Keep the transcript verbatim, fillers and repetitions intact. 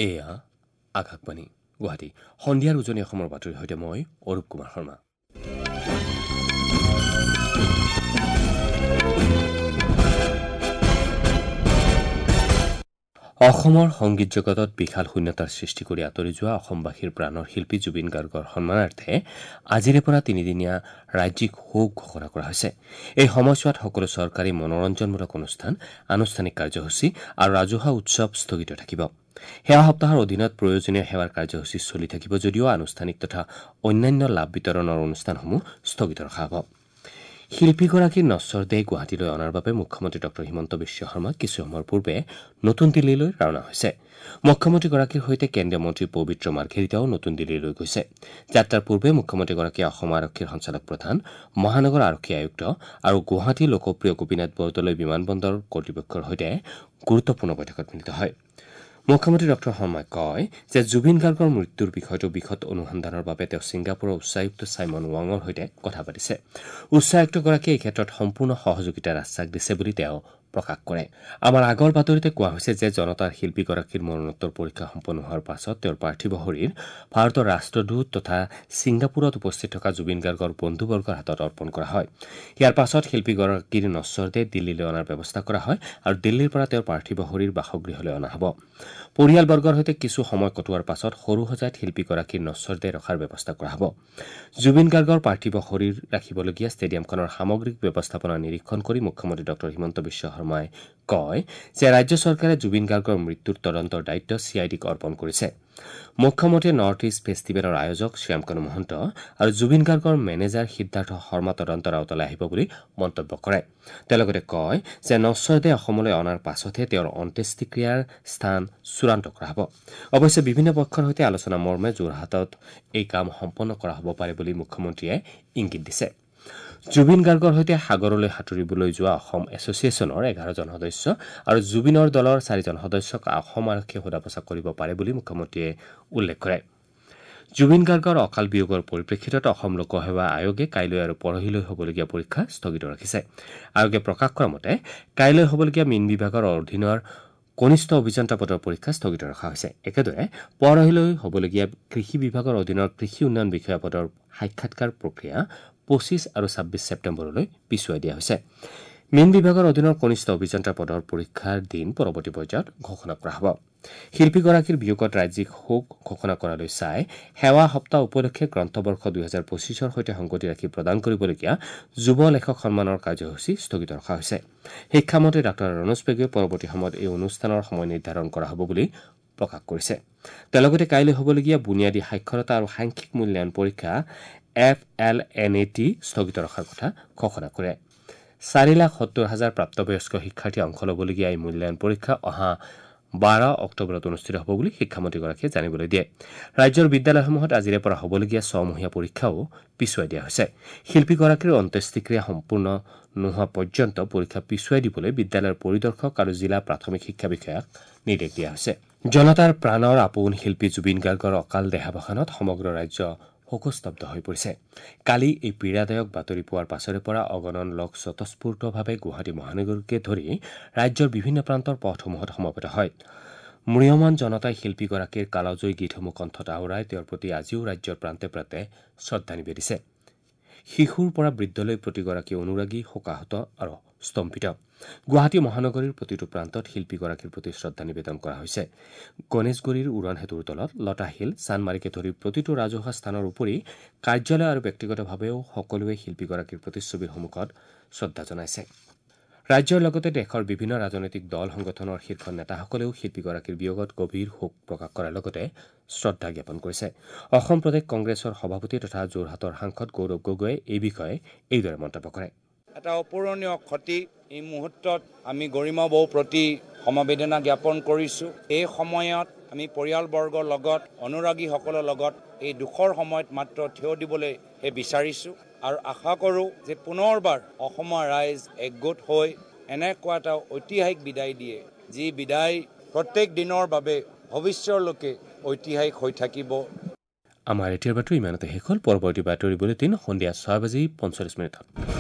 এয়া আকাশবাণী গুৱাহাটী। সন্ধিয়াৰ উজনি অসমৰ বাতৰিৰ সৈতে মই অৰূপ কুমাৰ শৰ্মা। অসমৰ সংগীত জগতত বিশাল শূন্যতাৰ সৃষ্টি কৰি আঁতৰি যোৱা অসমবাসীৰ প্ৰাণৰ শিল্পী জুবিন গাৰ্গৰ সন্মানাৰ্থে আজিৰে পৰা তিনিদিনীয়া ৰাজ্যিক শোক ঘোষণা কৰা হৈছে। এই সময়ছোৱাত সকলো চৰকাৰী মনোৰঞ্জনমূলক অনুষ্ঠান, আনুষ্ঠানিক কাৰ্যসূচী আৰু ৰাজহুৱা উৎসৱ স্থগিত থাকিব। সেৱা সপ্তাহৰ অধীনত প্ৰয়োজনীয় সেৱাৰ কাৰ্যসূচী চলি থাকিব যদিও আনুষ্ঠানিক তথা অন্যান্য লাভ বিতৰণৰ অনুষ্ঠানসমূহ স্থগিত ৰখা হ'ব। শিল্পীগৰাকীৰ নশ্বৰ দেহ গুৱাহাটীলৈ অনাৰ বাবে মুখ্যমন্ত্ৰী ডঃ হিমন্ত বিশ্ব শৰ্মা কিছু সময়ৰ পূৰ্বে নতুন দিল্লীলৈ ৰাওনা হৈছে। মুখ্যমন্ত্ৰীগৰাকীৰ সৈতে কেন্দ্ৰীয় মন্ত্ৰী পবিত্ৰ মাৰ্ঘেৰিটাও নতুন দিল্লীলৈ গৈছে। যাত্ৰাৰ পূৰ্বে মুখ্যমন্ত্ৰীগৰাকীয়ে অসম আৰক্ষীৰ সঞ্চালক প্ৰধান, মহানগৰ আৰক্ষী আয়ুক্ত আৰু গুৱাহাটী লোকপ্ৰিয় গোপীনাথ বৰদলৈ বিমানবন্দৰ কৰ্তৃপক্ষৰ সৈতে গুৰুত্বপূৰ্ণ বৈঠকত মিলিত হয়। মুখ্যমন্ত্ৰী ডঃ শৰ্মাই কয় যে জুবিন গাৰ্গৰ মৃত্যুৰ বিষয়টো বিশদ অনুসন্ধানৰ বাবে তেওঁ ছিংগাপুৰৰ উচ্চায়ুক্ত ছাইমন ৱাঙৰ সৈতে কথা পাতিছে। উচ্চায়ুক্তগৰাকীয়ে এই ক্ষেত্ৰত সম্পূৰ্ণ সহযোগিতাৰ আশ্বাস দিছে বুলি তেওঁ প্ৰকাশ কৰে। আমাৰ আগৰ বাতৰিতে কোৱা হৈছে যে জনতাৰ শিল্পীগৰাকীৰ মৰণোত্তৰ পৰীক্ষা সম্পন্ন হোৱাৰ পাছত তেওঁৰ পাৰ্থিৱ শৰীৰ ভাৰতৰ ৰাষ্ট্ৰদূত তথা ছিংগাপুৰত উপস্থিত থকা জুবিন গাৰ্গৰ বন্ধুবৰ্গৰ হাতত অৰ্পণ কৰা হয়। ইয়াৰ পাছত শিল্পীগৰাকীৰ নশ্বৰ দেহ দিল্লীলৈ অনাৰ ব্যৱস্থা কৰা হয় আৰু দিল্লীৰ পৰা তেওঁৰ পাৰ্থিৱ শৰীৰ বাসগৃহলৈ অনা হ'ব। পৰিয়ালবৰ্গৰ সৈতে কিছু সময় কটোৱাৰ পাছত সৰুসজাইত শিল্পীগৰাকীৰ নশ্বৰ দেহ ৰখাৰ ব্যৱস্থা কৰা হ'ব। জুবিন গাৰ্গৰ পাৰ্থিৱ শৰীৰ ৰাখিবলগীয়া ষ্টেডিয়ামখনৰ সামগ্ৰিক ব্যৱস্থাপনা নিৰীক্ষণ কৰি মুখ্যমন্ত্ৰী ডঃ হিমন্ত বিশ্ব শৰ্মাই কয় যে ৰাজ্য চৰকাৰে জুবিন গাৰ্গৰ মৃত্যুৰ তদন্তৰ দায়িত্ব চি I ডিক অৰ্পণ কৰিছে। মুখ্যমন্ত্ৰীয়ে নৰ্থ ইষ্ট ফেষ্টিভেলৰ আয়োজক শ্যামকানু মহন্ত আৰু জুবিন গাৰ্গৰ মেনেজাৰ সিদ্ধাৰ্থ শৰ্মা তদন্তৰ আওতালৈ আহিব বুলি মন্তব্য কৰে। তেওঁ লগতে কয় যে নশ্বৰ দেহ অসমলৈ অনাৰ পাছতহে তেওঁৰ অন্ত্যেষ্টিক্ৰিয়াৰ স্থান চূড়ান্ত কৰা হ'ব। অৱশ্যে বিভিন্ন পক্ষৰ সৈতে আলোচনা মৰ্মে যোৰহাটত এই কাম সম্পন্ন কৰা হ'ব পাৰে বুলি মুখ্যমন্ত্ৰীয়ে ইংগিত দিছে। জুবিন গাৰ্গৰ সৈতে সাগৰলৈ সাঁতুৰিবলৈ যোৱা অসম এছ'চিয়েশ্যনৰ এঘাৰজন সদস্য আৰু জুবিনৰ দলৰ চাৰিজন সদস্যক অসম আৰক্ষীয়ে সোধা পোছা কৰিব পাৰে বুলি মুখ্যমন্ত্ৰীয়ে উল্লেখ কৰে। জুবিন গাৰ্গৰ অকাল বিয়োগৰ পৰিপ্ৰেক্ষিতত অসম লোকসেৱা আয়োগে কাইলৈ আৰু পৰহিলৈ হ'বলগীয়া পৰীক্ষা স্থগিত ৰাখিছে। আয়োগে প্ৰকাশ কৰা মতে কাইলৈ হ'বলগীয়া মীন বিভাগৰ অধীনৰ কনিষ্ঠ অভিযন্তা পদৰ পৰীক্ষা স্থগিত ৰখা হৈছে। একেদৰে পৰহিলৈ হ'বলগীয়া কৃষি বিভাগৰ অধীনৰ কৃষি উন্নয়ন বিষয়া পদৰ সাক্ষাৎকাৰ প্ৰক্ৰিয়া পঁচিছ আৰু ছাব্বিছ ছেপ্টেম্বৰলৈ পিছুৱাই দিয়া হৈছে। মীন বিভাগৰ অধীনৰ কনিষ্ঠ অভিযন্তা পদৰ পৰীক্ষাৰ দিন পৰৱৰ্তী পৰ্যায়ত ঘোষণা কৰা হ'ব। শিল্পীগৰাকীৰ বিয়োগত ৰাজ্যিক শোক ঘোষণা কৰালৈ চাই সেৱা সপ্তাহ উপলক্ষে গ্ৰন্থবৰ্ষ দুহেজাৰ পঁচিছৰ সৈতে সংগতি ৰাখি প্ৰদান কৰিবলগীয়া যুৱ লেখক সন্মানৰ কাৰ্যসূচী স্থগিত ৰখা হৈছে। শিক্ষামন্ত্ৰী ডাঃ ৰণোজ পেগুৱে পৰৱৰ্তী সময়ত এই অনুষ্ঠানৰ সময় নিৰ্ধাৰণ কৰা হ'ব বুলি প্ৰকাশ কৰিছে। তেওঁ লগতে কাইলৈ হ'বলগীয়া বুনিয়াদী সাক্ষৰতা আৰু সাংখ্যিক মূল্যায়ন পৰীক্ষা F L N A T স্থগিত ৰখাৰ কথা ঘোষণা কৰে। চাৰি লাখ সত্তৰ হাজাৰ প্ৰাপ্তবয়স্ক শিক্ষাৰ্থীয়ে অংশ ল'বলগীয়া এই মূল্যায়ন পৰীক্ষা অহা বাৰ অক্টোবৰত অনুষ্ঠিত হ'ব বুলি শিক্ষামন্ত্ৰীগৰাকীয়ে জানিবলৈ দিয়ে। ৰাজ্যৰ বিদ্যালয়সমূহত আজিৰে পৰা হ'বলগীয়া ছমহীয়া পৰীক্ষাও পিছুৱাই দিয়া হৈছে। শিল্পীগৰাকীৰ অন্ত্যেষ্টিক্ৰিয়া সম্পূৰ্ণ নোহোৱা পৰ্যন্ত পৰীক্ষা পিছুৱাই দিবলৈ বিদ্যালয়ৰ পৰিদৰ্শক আৰু জিলা প্ৰাথমিক শিক্ষা বিষয়াক নিৰ্দেশ দিয়া হৈছে। জনতাৰ প্ৰাণৰ আপোন শিল্পী জুবিন গাৰ্গৰ অকাল দেহাৱসানত সমগ্ৰ ৰাজ্য শোকস্তব্ধ হৈ পৰিছে। কালি এই পীড়াদায়ক বাতৰি পোৱাৰ পাছৰে পৰা অগণন লোক স্বতঃস্ফূৰ্তভাৱে গুৱাহাটী মহানগৰীকে ধৰি ৰাজ্যৰ বিভিন্ন প্ৰান্তৰ পথসমূহত সমবেত হয়। ম্ৰিয়মান জনতাই শিল্পীগৰাকীৰ কালজয়ী গীতসমূহ কণ্ঠত আওৰাই তেওঁৰ প্ৰতি আজিও ৰাজ্যৰ প্ৰান্তে প্ৰান্তে শ্ৰদ্ধা নিবেদিছে। শিশুৰ পৰা বৃদ্ধলৈ প্ৰতিগৰাকী অনুৰাগী শোকাহত আৰু স্তম্ভিত। গুৱাহাটী মহানগৰীৰ প্ৰতিটো প্ৰান্তত শিল্পীগৰাকীৰ প্ৰতি শ্ৰদ্ধা নিবেদন কৰা হৈছে। গণেশগুৰিৰ উৰণ সেতুৰ তলত, লতাশিল, চানমাৰিকে ধৰি প্ৰতিটো ৰাজহুৱা স্থানৰ উপৰি কাৰ্যালয় আৰু ব্যক্তিগতভাৱেও সকলোৱে শিল্পীগৰাকীৰ প্ৰতিচ্ছবিৰ সন্মুখত শ্ৰদ্ধা জনাইছে। ৰাজ্যৰ লগতে দেশৰ বিভিন্ন ৰাজনৈতিক দল সংগঠনৰ শীৰ্ষ নেতাসকলেও শিল্পীগৰাকীৰ বিয়োগত গভীৰ শোক প্ৰকাশ কৰাৰ লগতে শ্ৰদ্ধা জ্ঞাপন কৰিছে। অসম প্ৰদেশ কংগ্ৰেছৰ সভাপতি তথা যোৰহাটৰ সাংসদ গৌৰৱ গগৈয়ে এই বিষয়ে এইদৰে মন্তব্য কৰে। এটা অপূৰণীয় ক্ষতি এই মুহূৰ্তত আমি গৰিমা বৌ প্ৰতি সমবেদনা জ্ঞাপন কৰিছোঁ। এই সময়ত আমি পৰিয়ালবৰ্গৰ লগত, অনুৰাগীসকলৰ লগত এই দুখৰ সময়ত মাত্ৰ থিয় দিবলৈ বিচাৰিছোঁ আৰু আশা কৰোঁ যে পুনৰবাৰ অসমৰ ৰাইজ একগোট হৈ এনেকুৱা এটা ঐতিহাসিক বিদায় দিয়ে, যি বিদায় প্ৰত্যেক দিনৰ বাবে ভৱিষ্যৰলৈকে ঐতিহাসিক হৈ থাকিব। আমাৰ এতিয়াৰ বাতৰি ইমানতে শেষ হ'ল। পৰৱৰ্তী বাতৰি বুলেটিন সন্ধিয়া ছয় বাজি পঞ্চল্লিছ মিনিটত।